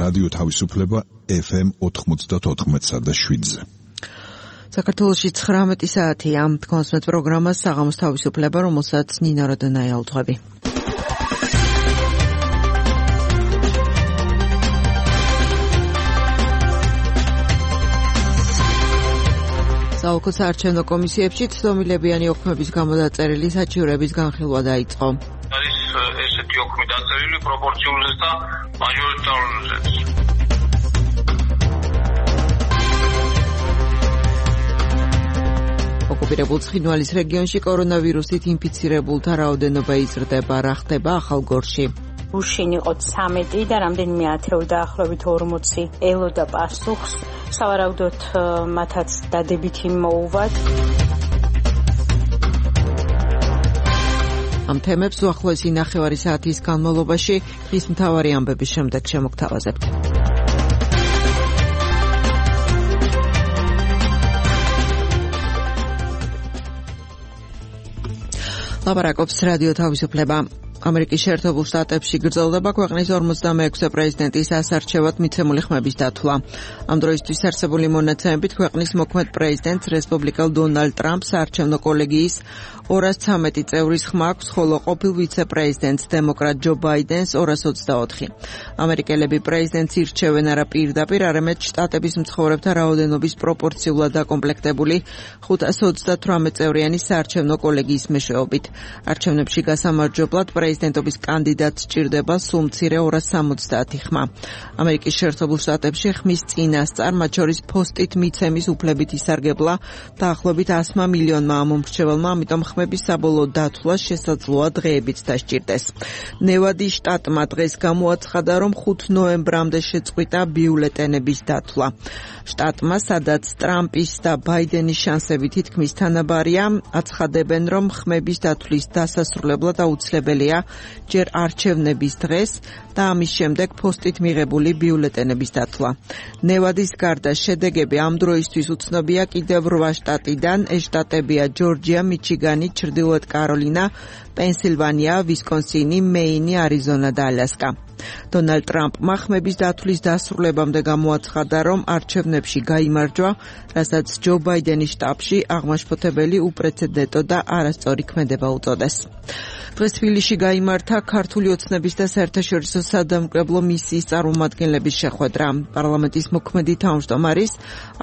რადიო თავისუფლება FM 94.7-ზე. საქართველოში 19 საათია. კონსმეთ პროგრამა საღამოს თავისუფლება, რომელსაც ნინა როდონაი ავთვები. საოლქო საარჩევნო კომისიებში ცდომილებიანი ოქმების გამო დაწერილი საჩივრების განხილვა დაიწყო. არის ესეთი ოქმი დაწერილი პროპორციულზეც და მაჟორიტარულზეც. ოკუპირებულ ცხინვალის რეგიონში კორონავირუსით ინფიცირებულთა რაოდენობა იზრდება, რა ხდება ახალგორში. უშინ იყო 13 და რამდენიმე ათეული დაახლოებით 40 ელოდა პასუხს. სავარაუდოდ მათაც დადებითი მოუვათ. ამ თემებს უახლოესი ნახევარი საათის განმავლობაში დღის მთავარი ამბების შემდეგ შემოგთავაზებთ. ლაპარაკობს რადიო თავისუფლება. ამერიკის შეერთებულ შტატებში გრძელდება ქვეყნის 46-ე პრეზიდენტის ასარჩევად მიცემული ხმების დათვლა. ამ დროისთვის არსებული მონაცემებით ქვეყნის მოქმედ პრეზიდენტს რესპუბლიკელ დონალდ ტრამპს საარჩევნო კოლეგიის 213 წევრის ხმა აქვს, ხოლო ყოფილ ვიცე-პრეზიდენტს დემოკრატ ჯო ბაიდენს 224. ამერიკელები პრეზიდენტს ირჩევენ არა პირდაპირ, არამედ შტატების მცხოვრებთა რაოდენობის პროპორციულად დაკომპლექტებული 528 წევრიანი საარჩევნო კოლეგიის მეშვეობით. არჩევნებში გასამარჯვებლად პრეზიდენტობის კანდიდატს სჭირდება სულ მცირე 270 ხმა. ამერიკის შეერთებულ შტატებში ხმის წინასწარ, მათ შორის ფოსტით მიცემის უფლებით ისარგებლა დაახლოებით 100 მილიონმა ამომრჩეველმა, ამიტომ ხმების საბოლოო დათვლა შესაძლოა დღეებით დასჭირდეს. ნევადის შტატმა დღეს გამოაცხადა, რომ 5 ნოემბრამდე შეწყვიტა ბიულეტენების დათვლა. შტატმა, სადაც ტრამპის და ბაიდენის შანსები თითქმის თანაბარია, აცხადებენ, რომ ხმების დათვლის დასასრულებლად აუცილებელია ჯერ არჩევნების დღეს და ამის შემდეგ პოსტით მიღებული ბიულეტენების დათვლა. ნევადის გარდა შედეგები ამ დროისთვის უცნობია კიდევ 8 შტატიდან. ეს შტატებია ჯორჯია, მიჩიგანი, ჩრდილოეთ კაროლინა, პენსილვანია, ვისკონსინი, მეინი, არიზონა და ალასკა. დონალდ ტრამპმა ხმების დათვლის დასრულებამდე გამოაცხადა, რომ არჩევნებში გაიმარჯვა, რასაც ჯო ბაიდენის შტაბში აღმაშფოთებელი უპრეცედენტო და არასწორი ქმედება უწოდეს. დღეს თბილისში გაიმართა ქართული ოცნების და საერთაშორისო სადამკვირვებლო მისიის წარმომადგენლების შეხვედრა. პარლამენტის მოქმედი თავმჯდომარის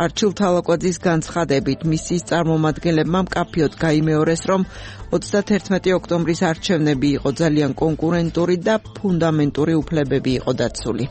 არჩილ თალაკვაძის განცხადებით, მისიის წარმომადგენლებმა მკაფიოდ გაიმეორეს, რომ 31 ოქტომბრის არჩევნები იყო ძალიან კონკურენტური და ფუნდამენტური უფლებები იყო დაცული.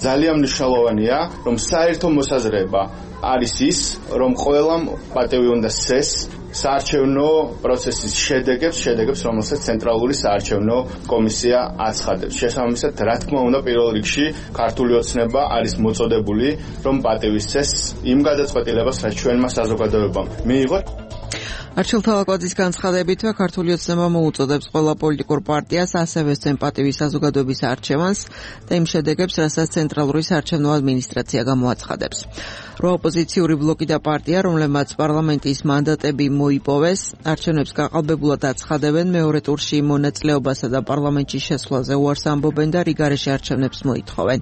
ძალიან მნიშვნელოვანია, რომ საერთო მოსაზრება არის ის, რომ ყველამ პატივი უნდა სცეს საარჩევნო პროცესის შედეგებს, რომელსაც ცენტრალური საარჩევნო კომისია აცხადებს. შესაბამისად, რა თქმა უნდა, პირველ რიგში ქართული ოცნება არის მოწოდებული, რომ პატივი სცეს იმ გადაწყვეტილებას, რაც ჩვენმა საზოგადოებამ მიიღო. არჩილ თალაკვაძის განცხადებითვე ქართული ოცნება მოუწოდებს ყველა პოლიტიკურ პარტიას ასევე სცენ პატივი საზოგადოების არჩევანს და იმ შედეგებს, რასაც ცენტრალური საარჩევნო ადმინისტრაცია გამოაცხადებს. 8 ოპოზიციური ბლოკი და პარტია, რომლებმაც პარლამენტის მანდატები მოიპოვეს, არჩევნებს გაყალბებულად აცხადებენ, მეორე ტურში მონაწილეობასა და პარლამენტში შესვლაზე უარს ამბობენ და რიგარეშე არჩევნებს მოითხოვენ.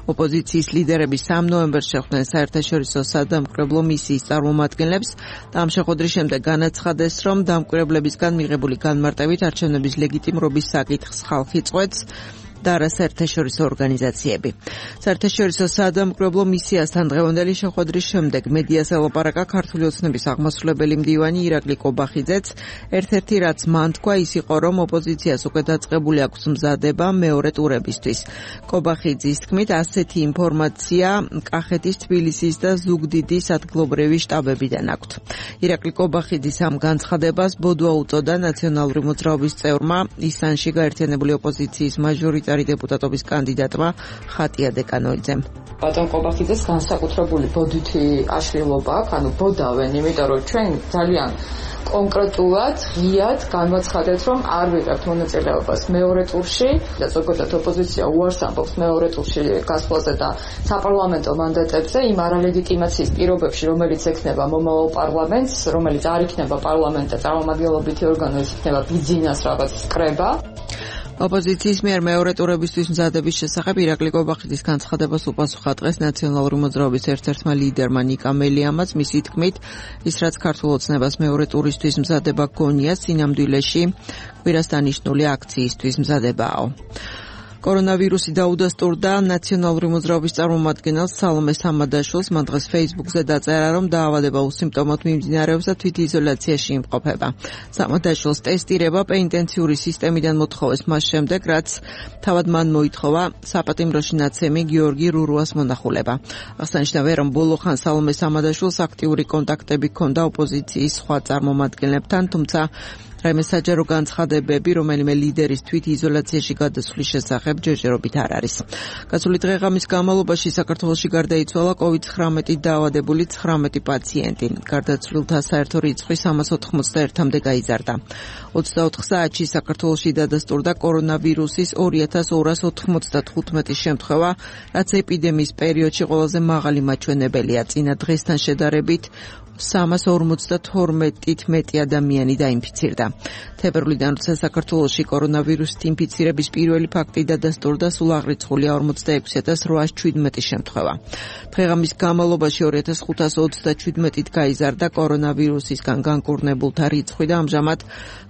ოპოზიციის ლიდერები 3 ნოემბერს შეხვდნენ საერთაშორისო სადამკვირვებლო მისიის წარმომადგენლებს და ამ შეხვედრის შემდეგ განაცხადეს, რომ დამკვირვებლებისგან მიღებული განმარტებით არჩევნების ლეგიტიმრობის საკითხს ხალხი წყვეტს და არა საერთაშორისო ორგანიზაციები. საერთაშორისო სადამკვირვებლო მისიასთან დღევანდელი შეხვედრის შემდეგ მედიას ელაპარაკა ქართული ოცნების აღმასრულებელი მდივანი ირაკლი კობახიძეც. ერთ-ერთი რაც მან თქვა ის იყო, რომ ოპოზიციას უკვე დაწყებული აქვს მზადება მეორე ტურებისთვის. კობახიძის თქმით, ასეთი ინფორმაცია კახეთის, თბილისის და ზუგდიდის ადგილობრივი შტაბებიდან აქვთ. ირაკლი კობახიძის ამ განცხადებას ბოდვა უწოდა ნაციონალური მოძრაობის წევრმა, ისანში გაერთიანებული ოპოზიციის მაჟორიტარი დეპუტატობის კანდიდატმა ხატია დეკანოიძემ. ბატონ კობახიძეს განსაკუთრებული ბოდვითი აშლილობა აქვს, ანუ ბოდავენ, იმიტომ რომ ჩვენ ძალიან კონკრეტულად ღიად განვაცხადეთ, რომ არ ვიღებთ მონაწილეობას მეორე ტურში და ზოგადად ოპოზიცია უარს ამბობს მეორე ტურში გასვლაზე და საპარლამენტო მანდატებზე იმ არალეგიტიმაციის პირობებში, რომელიც ექნება მომავალ პარლამენტს, რომელიც არ იქნება პარლამენტი და წარმომადგენლობითი ორგანო, ის იქნება ბიძინას რაღაც კრება. ოპოზიციის მიერ მეორე ტურებისთვის მზადების შესახებ ირაკლი კობახიძის განცხადებას უპასუხა დღეს ნაციონალური მოძრაობის ერთ-ერთმა ლიდერმა ნიკა მელიამაც. მისი თქმით, ის რაც ქართულ ოცნებას მეორე ტურისთვის მზადება გონია, სინამდვილეში კვირას დანიშნული აქციისთვის მზადებაო. კორონავირუსი დაუდასტურდა ნაციონალური მოძრაობის წარმომადგენელს სალომე სამადაშვილს. მან დღეს Facebook-ზე დაწერა, რომ დაავადება უსიმპტომოდ მიმდინარეობს და თვითიზოლაციაში იმყოფება. სამადაშვილს ტესტირება პენიტენციური სისტემიდან მოთხოვეს მას შემდეგ, რაც თავად მან მოითხოვა საპატიმროში ნაცემი გიორგი რურუას მონახულება. აღსანიშნავია, რომ ბოლო ხან სალომე სამადაშვილს აქტიური კონტაქტები ჰქონდა ოპოზიციის სხვა წარმომადგენლებთან, თუმცა რაიმე საჯარო განცხადებები რომელიმე ლიდერის თვითიზოლაციაში გადასვლის შესახებ ჯერჯერობით არ არის. გასული დღე-ღამის განმავლობაში საქართველოში გარდაიცვალა COVID-19 დაავადებული 19 პაციენტი. გარდაცვლილთა საერთო რიცხვი 381-მდე გაიზარდა. 24 საათში საქართველოში დადასტურდა კორონავირუსის 2295 შემთხვევა, რაც ეპიდემიის პერიოდში ყველაზე მაღალი მაჩვენებელია. წინა დღესთან შედარებით 352-ით მეტი ადამიანი დაინფიცირდა. თებერვლიდან, როცა საქართველოში კორონავირუსით ინფიცირების პირველი ფაქტი დადასტურდა, სულ აღრიცხულია 46817 შემთხვევა. დღე-ღამის განმავლობაში 2527-ით გაიზარდა კორონავირუსისგან განკურნებულთა რიცხვი და ამჟამად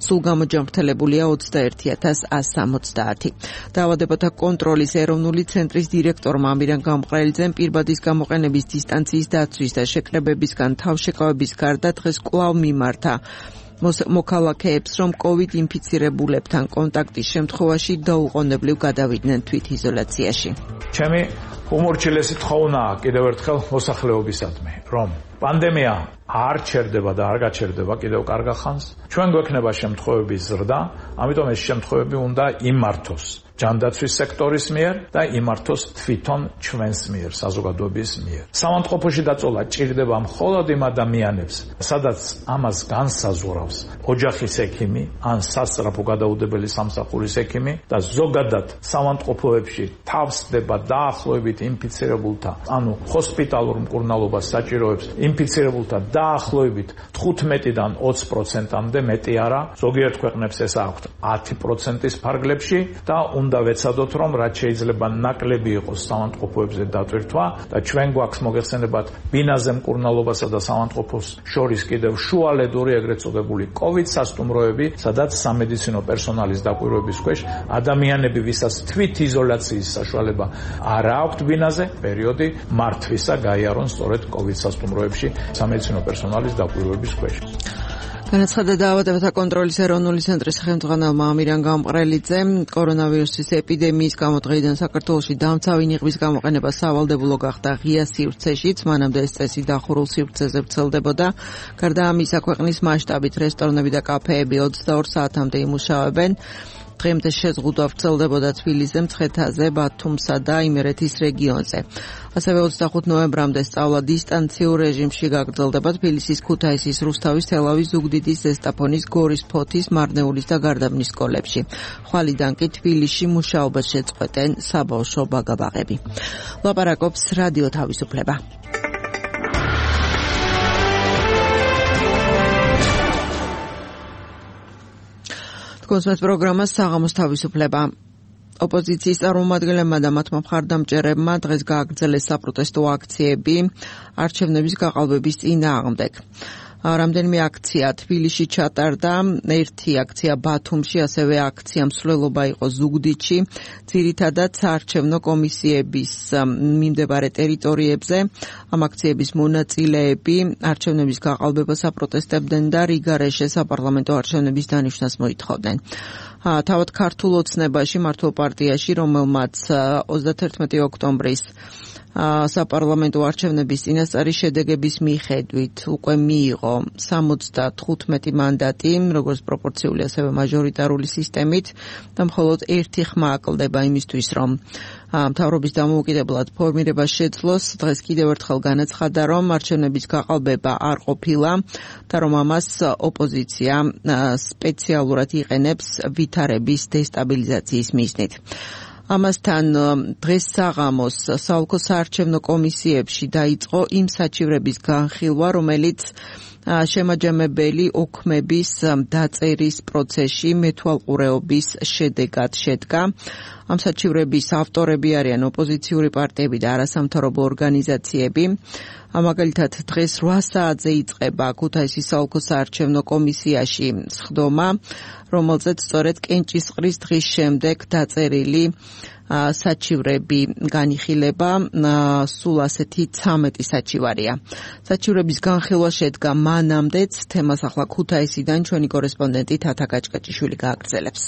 სულ გამოჯანმრთელებულია 21160. დაავადებათა კონტროლის ეროვნული ცენტრის დირექტორმა ამირან გამყრელიძემ პირბადის გამოყენების დისტანციის დაცვის და შეკრებებისგან თავშეკავების გარდა დღეს კვლავ მიმართა მოქალაქეებს, რომ COVID ინფიცირებულებთან კონტაქტის შემთხვევაში დაუყოვნებლივ გადავიდნენ თვითიზოლაციაში. ჩემი უმორჩილესი თხოვნაა კიდევ ერთხელ მოსახლეობისადმი, რომ პანდემია არ ჩერდება და არ გაჩერდება კიდევ კარგ ხანს. ჩვენ გვექნება შემთხვევების ზრდა, ამიტომ ეს შემთხვევები უნდა იმართოს ჯანდაცვის სექტორის მიერ და იმართოს თვითონ ჩვენს მიერ, საზოგადოების მიერ. სამანტყოფოში დაწოლა ჭირდება მხოლოდ იმ ადამიანებს, სადაც ამას განსაზღვრავს ოჯახის ექიმი ან სასწრაფო გადაუდებელი სამსახურის ექიმი და ზოგადად სამანტყოფოებში თავსდება დაახლოებით ინფიცირებულთა, ანუ ჰოსპიტალურ მკურნალობას საჭიროებს ინფიცირებულთა დაახლოებით 15-დან 20%-მდე მეტი არა, ზოგიერთ ქვეყნებს ეს აქვთ 10%-ის ფარგლებში და უნდა ვეცადოთ, რომ რაც შეიძლება ნაკლები იყოს სამანტყოფოებზე დატვირთვა და ჩვენ გვაქვს მოგეხსენებათ ბინაზე მკურნალობასა და სამანტყოფოს შორის კიდევ შუალედური ეგრეთ წოდებული COVID სასტუმროები, სადაც სამედიცინო პერსონალის დაკვირვების ქვეშ ადამიანები, ვისაც თვითიზოლაციის საშუალება არ აქვთ ბინაზე, პერიოდი მართვისა გაიარონ სწორედ COVID სასტუმროებში სამედიცინო პერსონალის დაკვირვების ქვეშ. განაცხადა დაავადებათა კონტროლის ეროვნული ცენტრის ხელმძღვანელმა ამირან გამყრელიძემ, კორონავირუსის ეპიდემიის გამო დღეიდან საქართველოში დამცავი ნიღბის გამოყენება სავალდებულო გახდა ღია სივრცეშიც, მანამდე ეს წესი დახურულ სივრცეზე ვრცელდებოდა. გარდა ამისა, ქვეყნის მასშტაბით რესტორნები და კაფეები 22 საათამდე იმუშავებენ. დღემდე შეზღუდვა ვრცელდებოდა თბილისზე, მცხეთაზე, ბათუმსა და იმერეთის რეგიონზე. ასევე 25 ნოემბრამდე სწავლა დისტანციურ რეჟიმში გაგრძელდება თბილისის, ქუთაისის, რუსთავის, თელავის, ზუგდიდის, ზესტაფონის, გორის, ფოთის, მარნეულის და გარდაბნის სკოლებში. ხვალიდან კი თბილისში მუშაობას შეწყვეტენ საბავშვო ბაგაბაღები. ლაპარაკობს რადიო თავისუფლება. კონსმეს პროგრამა საღამოს თავისუფლება. ოპოზიციის წარმომადგენლებმა და მათმა მხარდამჭერებმა დღეს გააგრძელეს საპროტესტო აქციები არჩევნების გაყალბების წინააღმდეგ. რამდენიმე აქცია თბილისში ჩატარდა, ერთი აქცია ბათუმში, ასევე აქცია მსვლელობა იყო ზუგდიდში, ძირითადად საარჩევნო კომისიების მიმდებარე ტერიტორიებზე. ამ აქციების მონაწილეები არჩევნების გაყალბებას აპროტესტებდნენ და რიგარეშე საპარლამენტო არჩევნების დანიშვნას მოითხოვდნენ. თავად ქართულ ოცნებაში, მართლ პარტიაში, რომელმაც 31 ოქტომბრის საპარლამენტო არჩევნების წინასწარი შედეგების მიხედვით უკვე მიიღო 75 მანდატი, როგორც პროპორციული, ასევე მაჟორიტარული სისტემით და მხოლოდ ერთი ხმა აკლდება იმისთვის, რომ მთავრობის დამოუკიდებლად ფორმირება შეძლოს. დღეს კიდევ ერთხელ განაცხადა, რომ არჩევნების გაყალბება არ ყოფილა და რომ ამას ოპოზიცია სპეციალურად იყენებს ვითარების დესტაბილიზაციის მიზნით. ამასთან დღეს საღამოს საოლქო საარჩევნო კომისიებში დაიწყო იმ საჩივრების განხილვა, რომელიც შემაჯამებელი ოქმების დაწერის პროცესში მეთვალყურეობის შედეგად შედგა. ამ საჩივრების ავტორები არიან ოპოზიციური პარტიები და არასამთავრობო ორგანიზაციები. მაგალითად, დღეს 8 საათზე იწყება ქუთაისის საოლქო საარჩევნო კომისიაში სხდომა, რომელზეც სწორედ კენჭისყრის დღის შემდეგ დაწერილი საჩივრები განიხილება. სულ ასეთი 13 საჩივარია. საჩივრების განხილვა შედგა მანამდეც. თემას ახლა ქუთაისიდან ჩვენი კორესპონდენტი თათა გაჭკაჭიშვილი გააგრძელებს.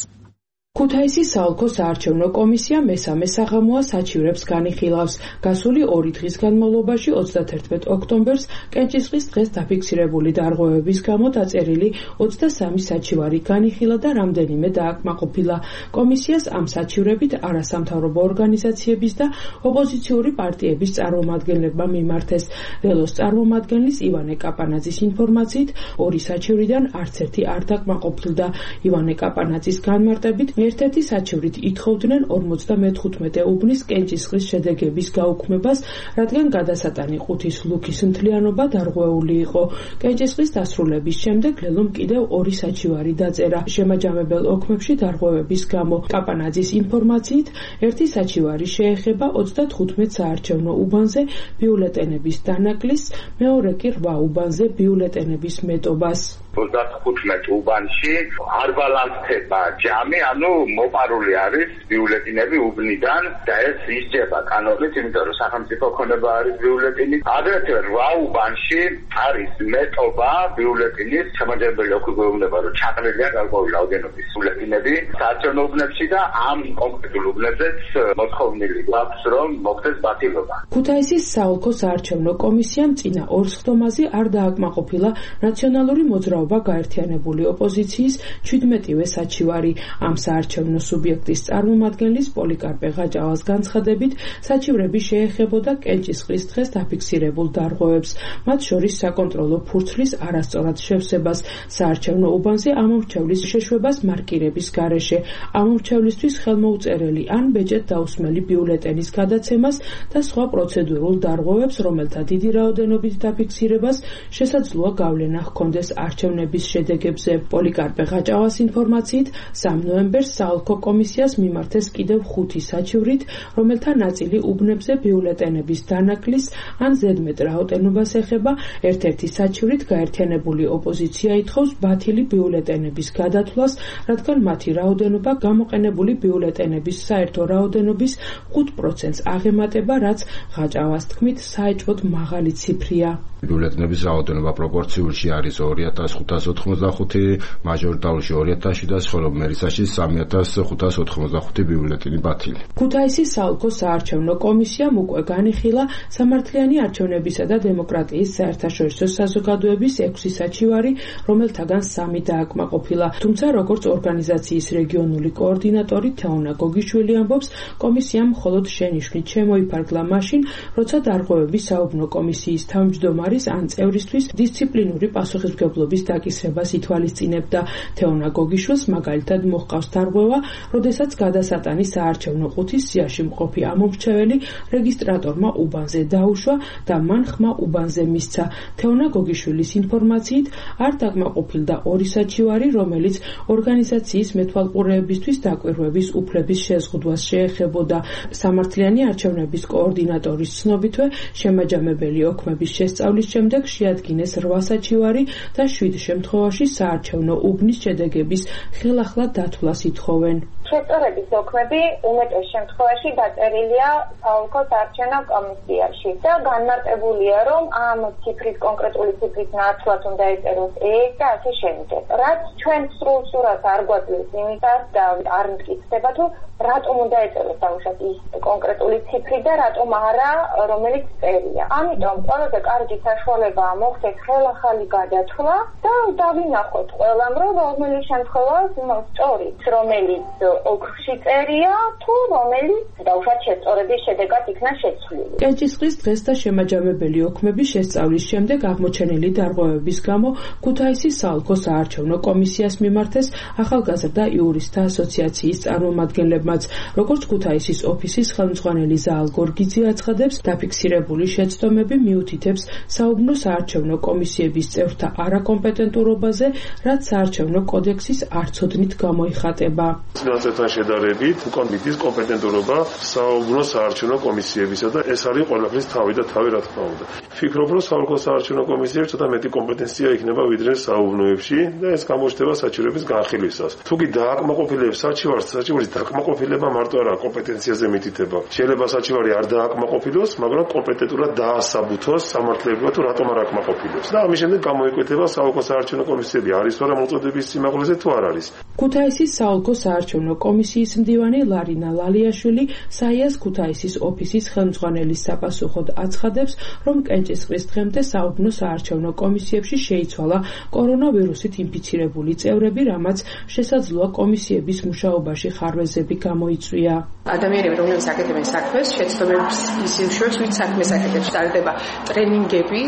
ქუთაისის საოლქო საარჩევნო კომისია მესამე საღამოა საჩივრებს განიხილავს. გასული 2 დღის განმავლობაში 31 ოქტომბერს კენჭისყრის დღეს დაფიქსირებული დარღვევების გამო დაწერილი 23 საჩივარი განიხილა და რამდენიმე დააკმაყოფილა. კომისიას ამ საჩივრებით არასამთავრობო ორგანიზაციების და ოპოზიციური პარტიების წარმომადგენლებმა მიმართეს. ველოს წარმომადგენლის ივანე კაპანაძის ინფორმაციით 2 საჩივრიდან არც ერთი არ დაკმაყოფილდა. ივანე კაპანაძის განმარტებით ერთ-ერთი საჩივრით ითხოვდნენ 55 უბნის კენჭისყრის შედეგების გაუქმებას, რადგან გადასატანი ყუთის ლუქის მთლიანობა დარღვეული იყო. კენჭისყრის დასრულების შემდეგ ლელომ კიდევ 2 საჩივარი დაწერა. შემაჯამებელ ოქმებში დარღვევების გამო. კაპანაძის ინფორმაციით, ერთი საჩივარი შეეხება 35 საარჩევნო უბანზე ბიულეტენების დანაკლისს, მეორე კი 8 უბანზე ბიულეტენების მეტობას. 35 უბანში არ ბალანსდება ჯამი, ანუ მოპარული არის ბიულეტინები უბნიდან და ეს ისჯება კანონით, იმიტომ რომ სახელმწიფო ქონება არის ბიულეტინი. აგრეთვე 8 უბანში არის მეტობა ბიულეტინის, შემაჯამებელი ოქროგვეუბნება, რომ ჩაყრილია გარკვეული რაოდენობის ბიულეტინები საარჩევნო უბნებში და ამ კონკრეტულ უბნებზეც მოთხოვნილი გვაქვს, რომ მოხდეს ბათილობა. ქუთაისის საოლქო საარჩევნო კომისიამ წინა 2 სხდომაზე არ დააკმაყოფილა ნაციონალური მოძრაობა გაერთიანებული ოპოზიციის 17-ვე საჩივარი. ამ საარჩევნო სუბიექტის წარმომადგენლის პოლიკარპე ღაჭავას განცხადებით, საჩივრები შეეხებოდა კენჭისყრის დღეს დაფიქსირებულ დარღვევებს, მათ შორის საკონტროლო ფურცლის არასწორად შევსებას, საარჩევნო უბანზე ამომრჩევლის შეშვებას მარკირების გარეშე, ამომრჩევლისთვის ხელმოუწერელი ან ბეჭედ დაუსმელი ბიულეტენის გადაცემას და სხვა პროცედურულ დარღვევებს, რომელთა დიდი რაოდენობით დაფიქსირებას შესაძლოა გავლენა ჰქონდეს არჩევნების შედეგებზე. პოლიკარპე ღაჭავას ინფორმაციით, 3 ნოემბერს საოლქო კომისიას მიმართეს კიდევ 5 საჩივრით, რომელთა ნაწილი უბნებზე ბიულეტენების დანაკლისს ან ზედმეტ რაოდენობას ეხება. ერთ-ერთი საჩივრით გაერთიანებული ოპოზიცია ითხოვს ბათილი ბიულეტენების გადათვლას, რადგან მათი რაოდენობა გამოყენებული ბიულეტენების საერთო რაოდენობის 5%-ს აღემატება, რაც ღაჭავას თქმით საეჭვოდ მაღალი ციფრია. ბიულეტენების რაოდენობა პროპორციულში არის 2585, მაჟორიტარულში 2700, ხოლო მერისაში 3585 ბიულეტენი ბათილი. ქუთაისის საოლქო საარჩევნო კომისიამ უკვე განიხილა სამართლიანი არჩევნებისა და დემოკრატიის საერთაშორისო საზოგადოების 6 საჩივარი, რომელთაგან 3 დააკმაყოფილა. თუმცა, როგორც ორგანიზაციის რეგიონული კოორდინატორი თეონა გოგიშვილი ამბობს, კომისიამ მხოლოდ შენიშვნით შემოიფარგლა მაშინ, როცა დარღვევების საუბნო კომისიის თავმჯდომარის ან წევრისთვის დისციპლინური პასუხისმგებლობის დაკისრებას ითვალისწინებდა. თეონა გოგიშვილს მაგალითად მოჰყავს დარღვევა, როდესაც გადასატანი საარჩევნო ყუთის სიაში მყოფი ამომრჩეველი რეგისტრატორმა უბანზე დაუშვა და მან ხმა უბანზე მისცა. თეონა გოგიშვილის ინფორმაციით, არ დაკმაყოფილდა 2 საჩივარი, რომელიც ორგანიზაციის მეთვალყურეებისთვის დაკვირვების უფლების შეზღუდვას შეეხებოდა. სამართლიანი არჩევნების კოორდინატორის ცნობითვე, შემაჯამებელი ოქმების შესწავლის შემდეგ შეადგინეს 8 საჩივარი და 7 შემთხვევაში საარჩევნო უბნის შედეგების ხელახლა დათვლას ითხოვენ. შესწავლების ოქმები უმეტეს შემთხვევაში დაწერილია საოლქო საარჩევნო კომისიაში და განმარტებულია, რომ ამ ციფრის კონკრეტული ციფრის ნაცვლად უნდა ეწეროს ეს და ასე შემდეგ. რაც ჩვენ სრულ სურათს არ გვაძლევს იმისას და არ მტკიცდება თუ რატომ უნდა ეწეროს დაუშვათ ის კონკრეტული ციფრი და რატომ არა რომელიც წერია. ამიტომ ყველაზე კარგი საშუალებაა მოხდეს ხელახალი გადათვლა და დავინახოთ ყველამ, რომ რომელი შემთხვევაა სწორი, რომელიც ოქროში წერია თუ რომელიც დაუშვათ შესწორების შედეგად იქნა შეცვლილი. კენჭისყრის დღეს და შემაჯამებელი ოქმების შესწავლის შემდეგ აღმოჩენილი დარღვევების გამო ქუთაისის საოლქო საარჩევნო კომისიას მიმართეს ახალგაზრდა იურისტთა ასოციაციის წარმომადგენლებმაც. როგორც ქუთაისის ოფისის ხელმძღვანელი ზაალ გორგიძე აცხადებს, დაფიქსირებული შეცდომები მიუთითებს საუბნო საარჩევნო კომისიების წევრთა არაკომპეტენტურობაზე, რაც საარჩევნო კოდექსის არცოდნით გამოიხატება. წინასწართან შედარებით უკან მიდის კომპეტენტურობა საუბნო საარჩევნო კომისიებისა და ეს არის ყველაფრის თავი და თავი რა თქმა უნდა. ვფიქრობ, რომ საოლქო საარჩევნო კომისიებში ცოტა მეტი კომპეტენცია იქნება ვიდრე საუბნოებში და ეს გამოჩნდება საჩივრების განხილვისას. თუ კი დააკმაყოფილებს საჩივარს, საჩივარის დააკმაყოფილება მარტო არა კომპეტენციაზე მითითება. შეიძლება საჩივარი არ დააკმაყოფილოს, მაგრამ კომპეტენტურად დაასაბუთოს სამართლებრივად თუ რატომ არ აკმაყოფილებს. და ამის შემდეგ გამოიკვეთება საოლქო საარჩევნო კომისიები არის თუ არა მოწოდების სიმაღლეზე თუ არ არის. ქუთაისის საოლქო საარჩევნო კომისიის მდივანი ლარინა ლალიაშვილი საიას ქუთაისის ოფისის ხელმძღვანელის საპასუხოდ აცხადებს, რომ კენჭისყრის დღემდე საუბნო საარჩევნო კომისიებში შეიცვალა კორონავირუსით ინფიცირებული წევრები, რამაც შესაძლოა კომისიების მუშაობაში ხარვეზები გამოიწვია. ადამიანები, რომლებიც აკეთებენ საქმეს, შეცდომების ისევ ვით საქმეს აკეთებს, ტარდება ტრენინგები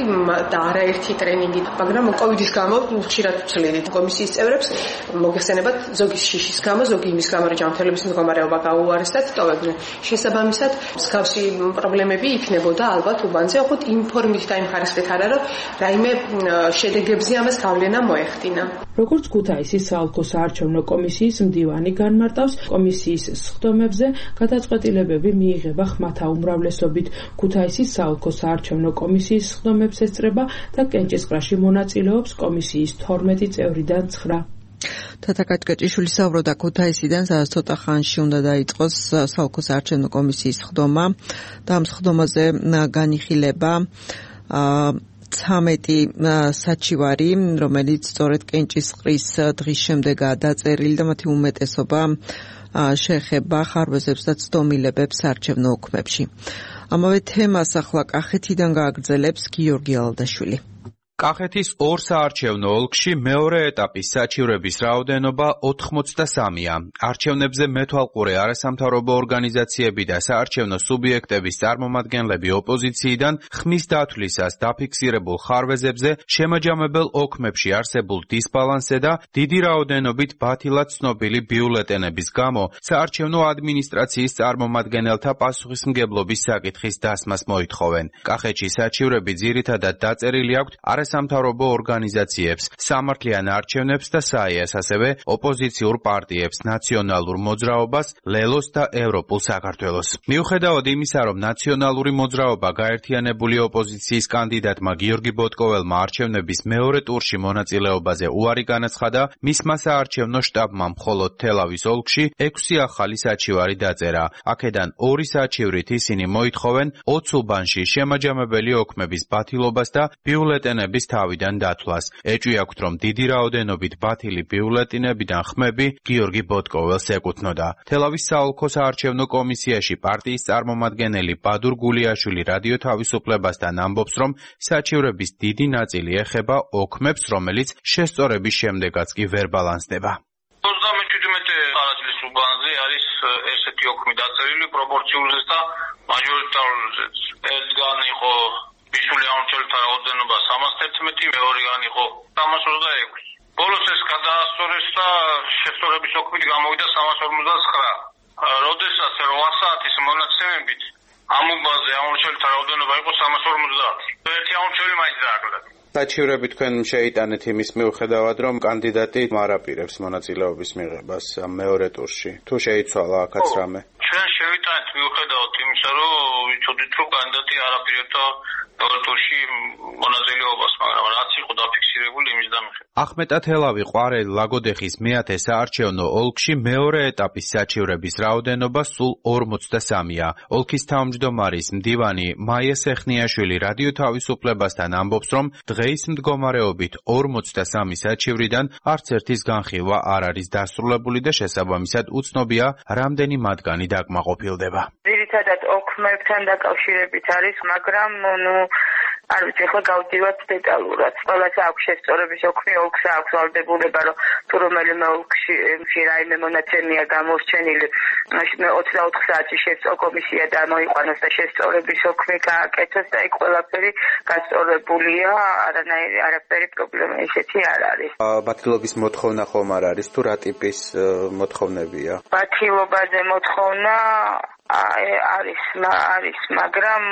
და არაერთი ტრენინგი, მაგრამ კოვიდის გამო ხშირად ვცლიდით კომისიის წევრებს მოგეხსენებათ ზოგი შიშის გამო, ზოგი იმის გამო, რომ ჯანმრთელობის მდგომარეობა გაუარესდა, ტოვებდნენ. შესაბამისად, მსგავსი პრობლემები იქნებოდა ალბათ უბანზე, ოღონდ იმ ფორმით და იმ ხარისხით არა, რომ რაიმე შედეგებზე ამას გავლენა მოეხდინა. როგორც ქუთაისის საოლქო საარჩევნო კომისიის მდივანი განმარტავს, კომისიის სხდომებზე გადაწყვეტილებები მიიღება ხმათა უმრავლესობით. ქუთაისის საოლქო საარჩევნო კომისიის სხდომებს ესწრება და კენჭისყრაში მონაწილეობს კომისიის 12 წევრიდან 9. თათა კაჭკაჭიშვილი საუბრობდა ქუთაისიდან, სადაც ცოტა ხანში უნდა დაიწყოს საოლქო საარჩევნო კომისიის სხდომა და ამ სხდომაზე განიხილება 13 საჩივარი, რომელიც სწორედ კენჭისყრის დღის შემდეგაა დაწერილი და მათი უმეტესობა შეეხება ხარვეზებს და ცდომილებებს საარჩევნო ოქმებში. ამავე თემას ახლა კახეთიდან გააგრძელებს გიორგი ალდაშვილი. კახეთის ორ საარჩევნო ოლქში მეორე ეტაპის საჩივრების რაოდენობა 83-ია. არჩევნებზე მეთვალყურე არასამთავრობო ორგანიზაციები და საარჩევნო სუბიექტების წარმომადგენლები ოპოზიციიდან ხმის დათვლისას დაფიქსირებულ ხარვეზებზე, შემაჯამებელ ოქმებში არსებულ დისბალანსზე და დიდი რაოდენობით ბათილად ცნობილი ბიულეტენების გამო საარჩევნო ადმინისტრაციის წარმომადგენელთა პასუხისმგებლობის საკითხის დასმას მოითხოვენ. კახეთში საჩივრები ძირითადად დაწერილი აქვთ არასამთავრობო ორგანიზაციებს, სამართლიან არჩევნებს და საიას, ასევე ოპოზიციურ პარტიებს, ნაციონალურ მოძრაობას, ლელოს და ევროპულ საქართველოს. მიუხედავად იმისა, რომ ნაციონალური მოძრაობა გაერთიანებული ოპოზიციის კანდიდატმა გიორგი ბოტკოველმა არჩევნების მეორე ტურში მონაწილეობაზე უარი განაცხადა, მისმა საარჩევნო შტაბმა მხოლოდ თელავის ოლქში 6 ახალი საჩივარი დაწერა. აქედან 2 საჩივრით ისინი მოითხოვენ 20 უბანში შემაჯამებელი ოქმების ბათილობას და ბიულეტენების თავიდან დათვლას. ეჭვი აქვთ, რომ დიდი რაოდენობით ბათილი ბიულეტინებიდან ხმები გიორგი ბოტკოველს ეკუთვნოდა. თელავის საოლქო საარჩევნო კომისიაში პარტიის წარმომადგენელი ბადურ გულიაშვილი რადიო თავისუფლებასთან ამბობს, რომ საჩივრების დიდი ნაწილი ეხება ოქმებს, რომელიც შესწორების შემდეგაც კი ვერ ბალანსდება. 37 არაძლის უბანზე არის ესეთი ოქმი დაწერილი პროპორციულზეც და მაჟორიტარულზეც. ერთგან იყო ისული ამორჩეულთა რაოდენობა 311, მეორეგან იყო 326. ბოლოს ეს გადაასწორეს და შესწორების ოქმით გამოვიდა 359. როდესაც 8 საათის მონაცემებით ამ უბანზე ამორჩეულთა რაოდენობა იყო 350. ერთი ამორჩეული მაინც დააკლდა. საჩივრები თქვენ შეიტანეთ იმის მიუხედავად, რომ კანდიდატი მარაპირებს მონაწილეობის მიღებას მეორე ტურში. თუ შეიცვალა აქაც რამე? ჩვენ შევიტანეთ მიუხედავად იმისა, რომ ვიცოდით, რომ კანდიდატი არაპირებდა მეორე ტურში მონაწილეობას, მაგრამ რაც იყო დაფიქსირებული იმის დამხეთ. ახმეტა თელავი, ყვარელი, ლაგოდეხის მეათე საარჩევნო ოლქში მეორე ეტაპის საჩივრების რაოდენობა სულ 43-ია. ოლქის თავმჯდომარის მდივანი მაია სეხნიაშვილი რადიო თავისუფლებასთან ამბობს, რომ დღეის მდგომარეობით 43 საჩივრიდან არც ერთის განხილვა არ არის დასრულებული და შესაბამისად უცნობია, რამდენი მათგანი დაკმაყოფილდება. ძირითადად ოქმებთან დაკავშირებით არის, მაგრამ არ ვიცი, ახლა გავდივართ დეტალურად. ყველას აქვს შესწორების ოქმი, ოლქს აქვს ვალდებულება, რომ თუ რომელიმე ოლქში რაიმე მონაცემია გამორჩენილი, 24 საათი შესწორ კომისია დაამოიყვანოს და შესწორების ოქმი გააკეთოს და იქ ყველაფერი გასწორებულია, არაფერი პრობლემა ისეთი არ არის. ბათილობის მოთხოვნა ხომ არ არის, თუ რა ტიპის მოთხოვნებია? ბათილობაზე მოთხოვნა არის, მაგრამ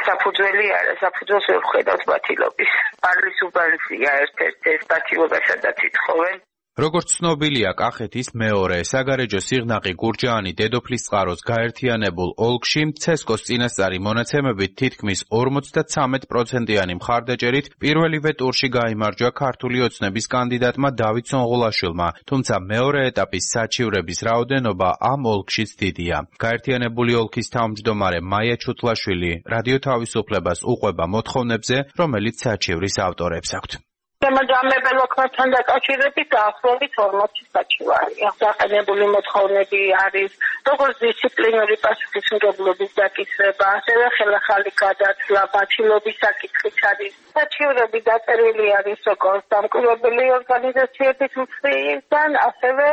საფუძველი არა, საფუძველს ვერ ვხედავთ ბათილობის. პარლის უბანსია ერთ-ერთი ეს ბათილობა, სადაც ითხოვენ. როგორც ცნობილია, კახეთის მეორე საგარეჯო სიღნაღი გურჯაანი დედოფლის წყაროს გაერთიანებულ ოლქში ცესკოს წინასწარი მონაცემებით თითქმის 53%-იანი მხარდაჭერით პირველივე ტურში გაიმარჯვა ქართული ოცნების კანდიდატმა დავით სონღულაშვილმა, თუმცა მეორე ეტაპის საჩივრების რაოდენობა ამ ოლქშიც დიდია. გაერთიანებული ოლქის თავმჯდომარე მაია ჩუთლაშვილი რადიო თავისუფლებას უყვება მოთხოვნებზე, რომელიც საჩივრის ავტორებს აქვთ. შემაჯამებელ ოქმებთან დაკავშირებით დაახლოებით 40 საჩივარია. დაყენებული მოთხოვნები არის როგორც დისციპლინური პასუხისმგებლობის დაკისრება, ასევე ხელახალი გადაცვლა, ბათილობის საკითხიც არის. საჩივრები დაწერილი არის როგორც დამკვირვებელი ორგანიზაციების მხრიდან, ასევე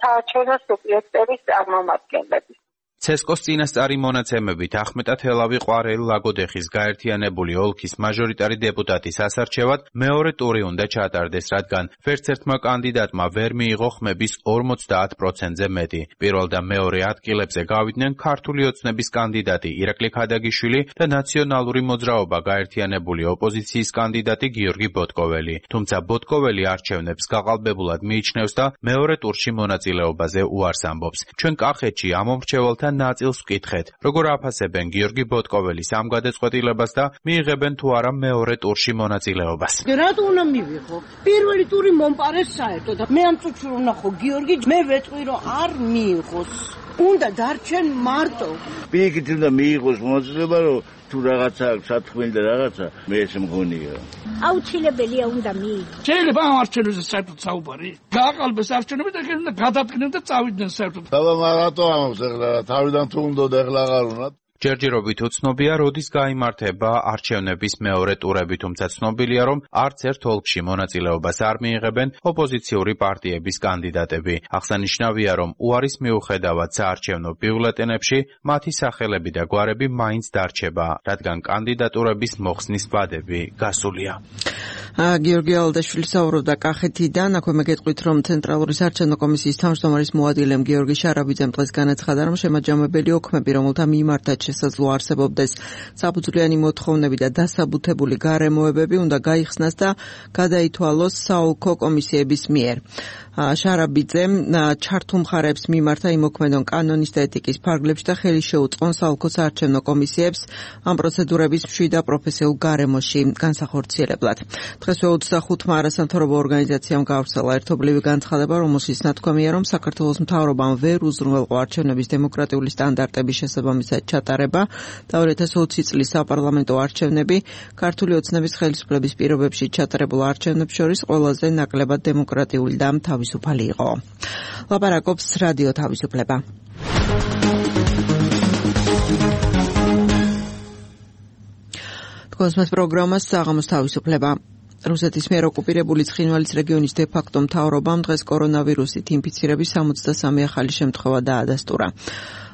საარჩევნო სუბიექტების წარმომადგენლების. ცესკოს წინასწარი მონაცემებით ახმეტათელავი ყვარელი ლაგოდეხის გაერთიანებული ოლქის მაჟორიტარი დეპუტატის ასარჩევად მეორე ტური უნდა ჩატარდეს, რადგან ვერცერთმა კანდიდატმა ვერ მიიღო ხმების 50%-ზე მეტი. პირველ და მეორე ადგილებზე გავიდნენ ქართული ოცნების კანდიდატი ირაკლი ქადაგიშვილი და ნაციონალური მოძრაობა გაერთიანებული ოპოზიციის კანდიდატი გიორგი ბოტკოველი. თუმცა ბოტკოველი არჩევნებს გაყალბებულად მიიჩნევს და მეორე ტურში მონაწილეობაზე უარს ამბობს. ჩვენ კახეთში ამომრჩეველთა ნაწილს ვკითხეთ, როგორ აფასებენ გიორგი ბოტკოველის ამ გადაწყვეტილებას და მიიღებენ თუ არა მეორე ტურში მონაწილეობას. რატო უნდა მივიღო? პირველი ტური მომპარეს საერთოდ. მე ამ წუთში ვნახო გიორგი, მე ვეტყვი რომ არ მიიღოს. უნდა დარჩენ მარტო. პირიქით უნდა მიიღოს მონაწილეობა, რომ თუ რაღაცა სათქმელი და რაღაცა მე ეს მგონია. აუცილებელია უნდა მიიღოს. შეიძლება ამ არჩევნებზე საერთოდ საუბარი. გააყალბეს არჩევნები და შეიძლება გადადგნენ და წავიდნენ საერთოდ. და რატო ამობს ახლა თავიდან თუ უნდა და ახლა აღარ უნდა? ჯერჯერობით უცნობია, როდის გაიმართება არჩევნების მეორე ტურები, თუმცა ცნობილია, რომ არც ერთ ოლქში მონაწილეობას არ მიიღებენ ოპოზიციური პარტიების კანდიდატები. აღსანიშნავია, რომ უარის მიუხედავად საარჩევნო ბიულეტენებში მათი სახელები და გვარები მაინც დარჩება, რადგან კანდიდატურების მოხსნის ვადები გასულია. გიორგი ალდაშვილი საუბრობდა კახეთიდან, აქვე მეგეთყვით, რომ ცენტრალური საარჩევნო კომისიის თავმჯდომარის მოადგილემ გიორგი შარაბიძემ დღეს განაცხადა, რომ შემაჯამებელი ოქმები, რომელთა მიმართაც შესაძლო არსებობდეს საფუძვლიანი მოთხოვნები და დასაბუთებული გარემოებები, უნდა გაიხსნას და გადაითვალოს საოლქო კომისიების მიერ. შარაბიძემ ჩართულ მხარეებს მიმართა იმოქმედონ კანონის და ეთიკის ფარგლებში და ხელი შეუწყონ საოლქო საარჩევნო კომისიებს ამ პროცედურების მშვიდ და პროფესიულ გარემოში განსახორციელებლად. დღესვე 25-მა არასამთავრობო ორგანიზაციამ გაავრცელა ერთობლივი განცხადება, რომელშიც ნათქვამია, რომ საქართველოს მთავრობამ ვერ უზრუნველყო არჩევნების დემოკრატიული სტანდარტების შესაბამისად ჩატარება და 2020 წლის საპარლამენტო არჩევნები ქართული ოცნების ხელისუფლების პირობებში ჩატარებულ არჩევნებს შორის ყველაზე ნაკლებად დემოკრატიული და თავისუფალი იყო. ლაპარაკობს რადიო თავისუფლება. თქვენს პროგრამას საღამოს თავისუფლება. რუსეთის მიერ ოკუპირებული ცხინვალის რეგიონის დე-ფაქტო მთავრობამ დღეს კორონავირუსით ინფიცირების 63 ახალი შემთხვევა დაადასტურა.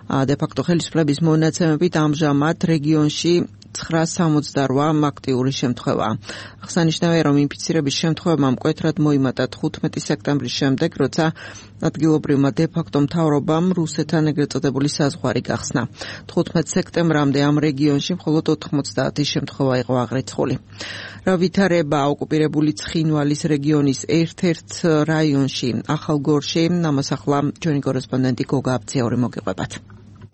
დე-ფაქტო ხელისუფლების მონაცემებით ამჟამად რეგიონში 968 აქტიური შემთხვევაა. აღსანიშნავია, რომ ინფიცირების შემთხვევებმა მკვეთრად მოიმატა 15 სექტემბრის შემდეგ, როცა ადგილობრივმა დე-ფაქტო მთავრობამ რუსეთთან ეგრეთ წოდებული საზღვარი გახსნა. 15 სექტემბრამდე ამ რეგიონში მხოლოდ 90 შემთხვევა იყო აღრიცხული. რა ვითარება ოკუპირებული ცხინვალის რეგიონის ერთ-ერთ რაიონში, ახალგორში, ამას ახლა ჩვენი კორესპონდენტი გოგა აბციური მოგიყვებათ.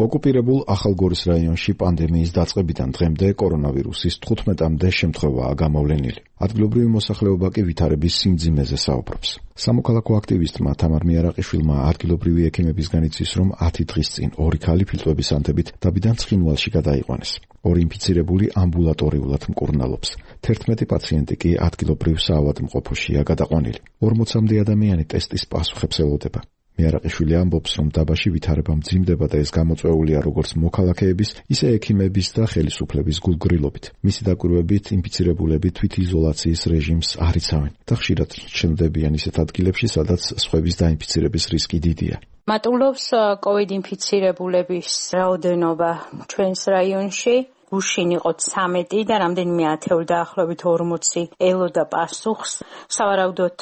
ოკუპირებულ ახალგორის რაიონში პანდემიის დაწყებიდან დღემდე კორონავირუსის 15-მდე შემთხვევაა გამოვლენილი. ადგილობრივი მოსახლეობა კი ვითარების სიმძიმეზე საუბრობს. სამოქალაქო აქტივისტმა თამარ მიარაყიშვილმა ადგილობრივი ექიმებისგან იცის, რომ 10 დღის წინ 2 ქალი ფილტვების ანთებით დაბიდან ცხინვალში გადაიყვანეს. 2 ინფიცირებული ამბულატორიულად მკურნალობს. 11 პაციენტი კი ადგილობრივ საავადმყოფოშია გადაყვანილი. 40-მდე ადამიანი ტესტის პასუხებს ელოდება. მიარაყიშვილი ამბობს, რომ დაბაში ვითარება მძიმდება და ეს გამოწვეულია როგორც მოქალაქეების, ისე ექიმების და ხელისუფლების გულგრილობით. მისი დაკვირვებით, ინფიცირებულები თვითიზოლაციის რეჟიმს არ იცავენ და ხშირად ჩნდებიან ისეთ ადგილებში, სადაც სხვების დაინფიცირების რისკი დიდია. მატულობს COVID ინფიცირებულების რაოდენობა ჩვენს რაიონში. გუშინ იყო 13 და რამდენიმე ათეული დაახლოებით 40 ელოდა პასუხს. სავარაუდოდ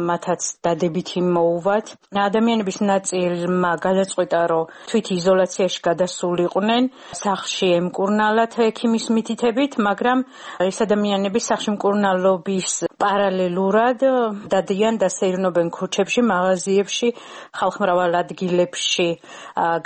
მათაც დადებითი მოუვათ. ადამიანების ნაწილმა გადაწყვიტა, რომ თვით იზოლაციაში გადასულიყვნენ, სახლში ემკურნალათ ექიმის მითითებით, მაგრამ ეს ადამიანები სახლში მკურნალობის პარალელურად დადიან და სეირნობენ ქუჩებში, მაღაზიებში, ხალხმრავალ ადგილებში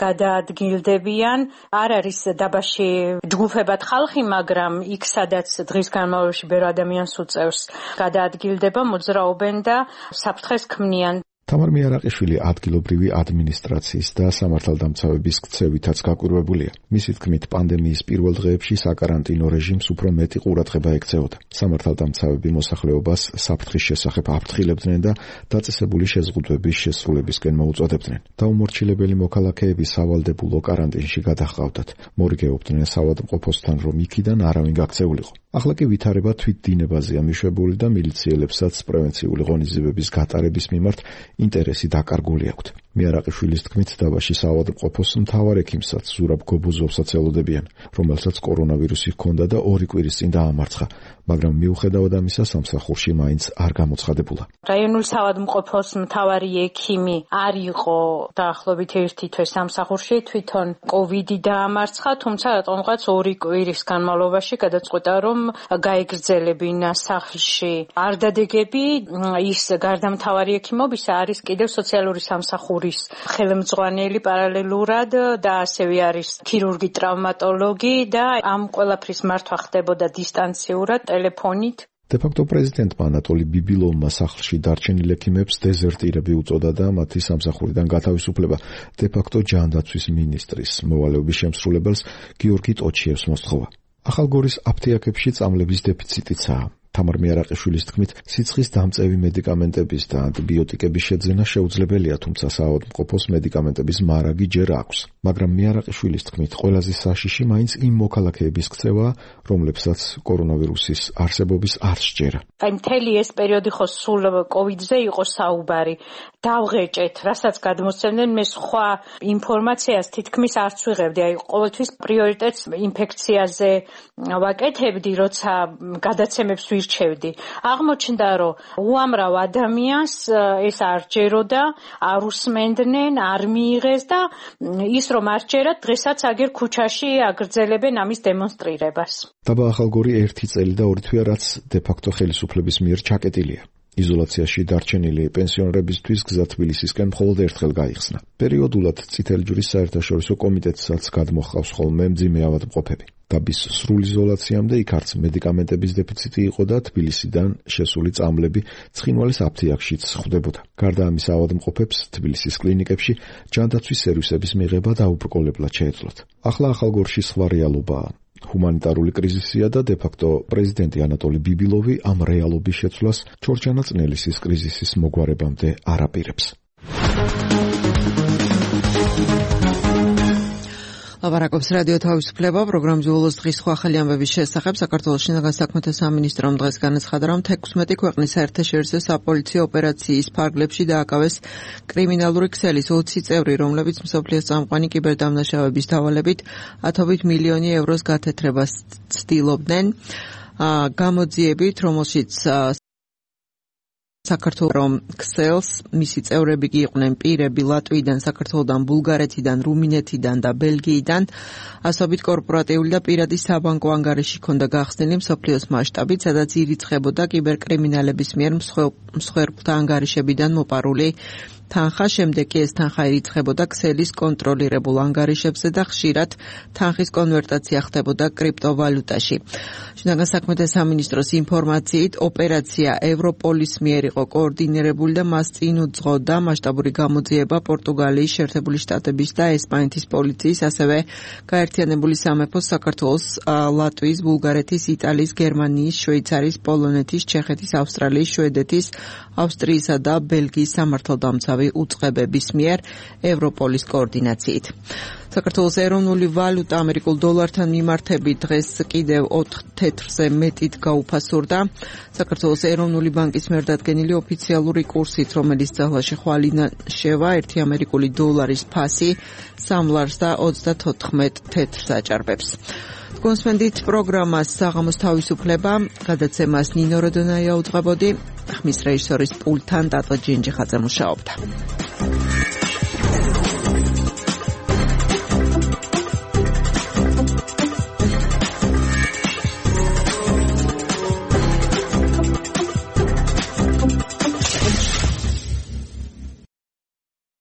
გადაადგილდებიან. არ არის დაბაში ჯგუფები ხალხი, მაგრამ იქ სადაც დღის განმავლობაში ბევრი ადამიანს უწევს გადაადგილდება, მოძრაობენ და საფრთხეს ქმნიან. თამარ მიარაყიშვილი ადგილობრივი ადმინისტრაციის და სამართალდამცავების ქცევითაც გაკვირვებულია. მისი თქმით, პანდემიის პირველ დღეებში საკარანტინო რეჟიმს უფრო მეტი ყურადღება ექცეოდა. სამართალდამცავები მოსახლეობას საფრთხის შესახებ აფრთხილებდნენ და დაწესებული შეზღუდვების შესრულებისკენ მოუწოდებდნენ. დაუმორჩილებელი მოქალაქეები სავალდებულო კარანტინში გადაჰყავდათ. მორიგეობდნენ საავადმყოფოსთან, რომ იქიდან არავინ გაქცეულიყო. ახლა კი ვითარება თვით დინებაზეა მიშვებული და მილიციელებსაც პრევენციული ღონისძიებების გატარების მიმართ ინტერესი დაკარგული აქვთ. მიარაყიშვილის თქმით, დაბაში საავადმყოფოს მთავარ ექიმსაც ზურაბ გობუზოვსაც ელოდებიან, რომელსაც კორონავირუსი ჰქონდა და 2 კვირის წინ დაამარცხა, მაგრამ მიუხედავად ამისა სამსახურში მაინც არ გამოცხადებულა. რაიონულ საავადმყოფოს მთავარი ექიმი არ იყო დაახლოებით 1 თვე სამსახურში, თვითონ COVID დაამარცხა, თუმცა რატომღაც 2 კვირის განმავლობაში გადაწყვიტა, რომ გაეგრძელებინა სახლში. არ დადეგები ის გარდამთავარი ექიმობისა არის კიდევ სოციალური სამსახურის ხელმძღვანელი პარალელურად და ასევე არის ქირურგი, ტრავმატოლოგი და ამ ყველაფრის მართვა ხდებოდა დისტანციურად ტელეფონით. დე-ფაქტო პრეზიდენტმა ანატოლი ბიბილოვმა სახლში დარჩენილ ექიმებს დეზერტირები უწოდა და მათი სამსახურიდან გათავისუფლება დე-ფაქტო ჯანდაცვის მინისტრის მოვალეობის შემსრულებელს გიორგი ტოჩიევს მოსთხოვა. ახალგორის აფთიაქებში წამლების დეფიციტიცაა. თამარ მიარაყიშვილის თქმით, სიცხის დამწევი მედიკამენტების და ანტიბიოტიკების შეძენა შეუძლებელია, თუმცა საავადმყოფოს მედიკამენტების მარაგი ჯერ აქვს. მაგრამ მიარაყიშვილის თქმით, ყველაზე საშიში მაინც იმ მოქალაქეების ქცევაა, რომლებსაც კორონავირუსის არსებობის არ სჯერა. აი მთელი ეს პერიოდი ხო სულ COVID-ზე იყო საუბარი. დავღეჭეთ, რასაც გადმოსცემდნენ, მე სხვა ინფორმაციას თითქმის არც ვიღებდი. აი ყოველთვის პრიორიტეტს ინფექციაზე ვაკეთებდი, როცა გადაცემებს ვირჩევდი. აღმოჩნდა, რომ უამრავ ადამიანს ეს არ ჯეროდა, არ უსმენდნენ, არ მიიღეს და ის რომ არ ჯერათ, დღესაც აგერ ქუჩაში აგრძელებენ ამის დემონსტრირებას. დაბა ახალგორი 1 წელი და 2 თვეა, რაც დე-ფაქტო ხელისუფლების მიერ ჩაკეტილია. იზოლაციაში დარჩენილი პენსიონერებისთვის გზა თბილისისკენ მხოლოდ ერთხელ გაიხსნა. პერიოდულად წითელი ჯვრის საერთაშორისო კომიტეტსაც გადმოჰყავს ხოლმე მძიმე ავადმყოფები. დაბის სრულ იზოლაციამდე იქ არც მედიკამენტების დეფიციტი იყო და თბილისიდან შესული წამლები ცხინვალის აფთიაქშიც ხვდებოდა. გარდა ამისა, ავადმყოფებს თბილისის კლინიკებში ჯანდაცვის სერვისების მიღება დაუბრკოლებლად შეეძლოთ. ახლა ახალგორში სხვა რეალობაა. ჰუმანიტარული კრიზისია და დე-ფაქტო პრეზიდენტი ანატოლი ბიბილოვი ამ რეალობის შეცვლას ჩორჯანა წნელისის კრიზისის მოგვარებამდე არ აპირებს. ლაპარაკობს რადიო თავისუფლება პროგრამის უოლოს დღის სხვა ახალი ამბების შესახებ. საქართველოს შინაგან საქმეთა სამინისტრომ დღეს განაცხადა, რომ 16 ქვეყნის საერთაშორისო საპოლიციო ოპერაციის ფარგლებში დააკავეს კრიმინალური ქსელის 20 წევრი, რომლებიც მსოფლიოს წამყვანი კიბერდამნაშავების დავალებით 10 მილიონი ევროს გათეთრებას ცდილობდნენ. გამოძიებით, რომელშიც საქართველოს ქსელს მისი წევრები კი იყვნენ პირები ლატვიიდან, საქართველოსთან, ბულგარეთიდან, რუმინეთიდან და ბელგიიდან. ასობით კორპორატიული და პირადი საბანკო ანგარიში ჰქონდა გახსნილი მსოფლიოს მასშტაბით, სადაც ირიცხებოდა კიბერკრიმინალების მიერ მსხვერპლთა ანგარიშებიდან მოპარული თანხა. შემდეგ კი ეს თანხა ირიცხებოდა ქსელის კონტროლირებულ ანგარიშებზე და ხშირად თანხის კონვერტაცია ხდებოდა კრიპტოვალუტაში. შინაგან საქმეთა სამინისტროს ინფორმაციით, ოპერაცია ევროპოლის მიერ იყო კოორდინირებული და მას წინ უძღოდა მასშტაბური გამოძიება პორტუგალიის, შეერთებული შტატების და ესპანეთის პოლიციის, ასევე გაერთიანებული სამეფოს, საქართველოს, ლატვიის, ბულგარეთის, იტალიის, გერმანიის, შვეიცარიის, პოლონეთის, ჩეხეთის, ავსტრალიის, შვედეთის, ავსტრიისა და ბელგიის სამართალდამცავ უწყლოდნავი უწყებების მიერ ევროპოლის კოორდინაციით. საქართველოს ეროვნული ვალუტა ამერიკულ დოლართან მიმართებით დღეს კიდევ 4 თეთრზე მეტით გაუფასურდა. საქართველოს ეროვნული ბანკის მიერ დადგენილი ოფიციალური კურსით, რომელიც ძალაში ხვალიდან შევა, 1 ამერიკული დოლარის ფასი 3 ლარს და 34 თეთრს აჭარბებს. გონსმენდით პროგრამას საღამოს თავისუფლება, გადაცემას ნინო როდონაია უძღვებოდი, ხმის რეჟისორის პულტთან დატო ჯინჯიხაძე მუშაობდა.